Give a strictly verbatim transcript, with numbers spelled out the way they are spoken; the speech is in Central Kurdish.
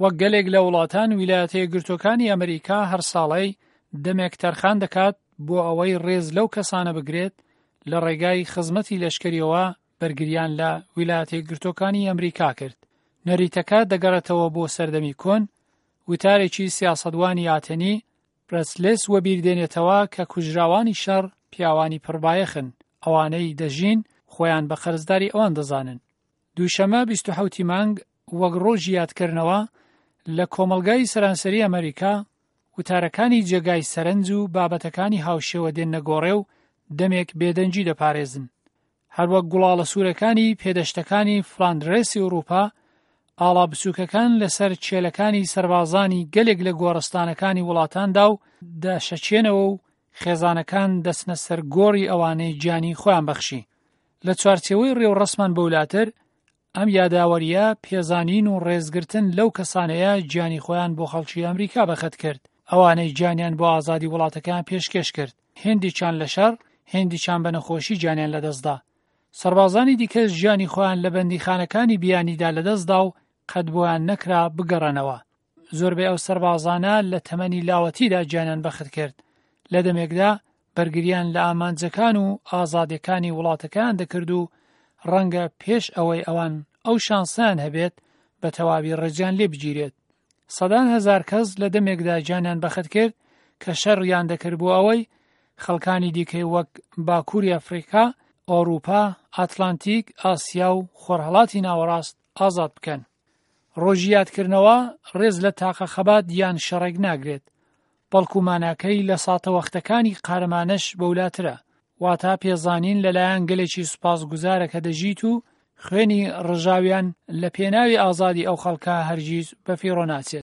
وەک گەلێک لە وڵاتان، ویلایەتە یەکگرتووەکانی ئەمریکا هەر ساڵەی دەمێک تەرخان دەکات بۆ ئەوەی ڕێز لەو کەسانە بگرێت لە ڕێگای خزمەتی لەشکریەوە بەرگریان لە ویلایەتە یەکگرتووەکانی ئەمریکا کرد. نەریتەکە دەگەڕێتەوە بۆ سەردەمی کۆن، وتارێکی سیاسەتوانی ئاتەنی پرەسلێس وەبیر دێنێتەوە کە کوژراوانی شەڕ پیاوانی پڕبایەخن، ئەوانەی دەژین خۆیان بە قەرزداری ئەوان دەزانن. دووشەمە بیست و حەوتی مانگ وەک ڕۆژی یادکردنەوە لە کۆمەڵگای سەرانسەری ئەمریکا وتارەکانی جێگای سەرنج و بابەتەکانی هاوشێوە دێنە گۆڕێ و دەمێک بێدەنگی دەپارێزن. هەروەک گوڵاڵە سوورەکانی پێدەشتەکانی فلاندرێسی ئەوروپا، ئاڵا بچووکەکان لەسەر چێلەکانی سەربازانی گەلێک لە گۆڕستانەکانی وڵاتاندا و دەشەچێنەوە و خێزانەکان دەچنە سەر گۆڕی ئەوانەی گیانی خۆیان بەخشی. لە چوارچێوەی ڕێوڕەسمان بەولاتر، ئەم یاداوەریە پێزانین و ڕێزگرتن لەو کەسانەیە گیانی خۆیان بۆ خەڵکی ئەمریکا بەخت کرد، ئەوانەی گیانیان بۆ ئازادی وڵاتەکەیان پێشکێش کرد، هێندێکیان لە شەڕ، هێندێکیان بە نەخۆشی گیانیان لەدەستدا. سەربازانی دیکەش گیانی خۆیان لە بەندیخانەکانی بیانیدا لەدەستدا و قەت بۆیان نەکرا بگەڕێنەوە. زۆربەی ئەو سەربازانە لە تەمەنی لاوەتیدا گیانیان بەخت کرد، لە دەمێکدا بەرگریان لە ئامانجەکان و ئازادیەکانی وڵاتەکەیان دەکرد و ڕەنگە پێش ئەوەی ئەوان ئەو شانسیان هەبێت بە تەواوی ڕێزیان لێ بگیرێت. سەدان هەزار کەس لە دەمێکدا گیانیان بەخت کرد کە شەڕیان دەکرد بۆ ئەوەی خەڵکانی دیکەی وەک باکووری ئەفریقا، ئەوروپا، ئەتلانتیک، ئاسیا و خۆرهەڵاتی ناوەڕاست ئازاد بکەن. ڕۆژی یادکردنەوە ڕێز لە تاقە خەبات یان شەڕێک ناگرێت، بەڵکو ماناکەی لە ساتەوەختەکانی قارەمانەش بەولاترە، واتا پێزانین لەلایەن گەلێکی سوپاسگوزارە کە دەژیت و خوێنی ڕژاویان لە پێناوی ئازادی ئەو خەڵکە هەرگیز بەفیڕۆ ناچێت.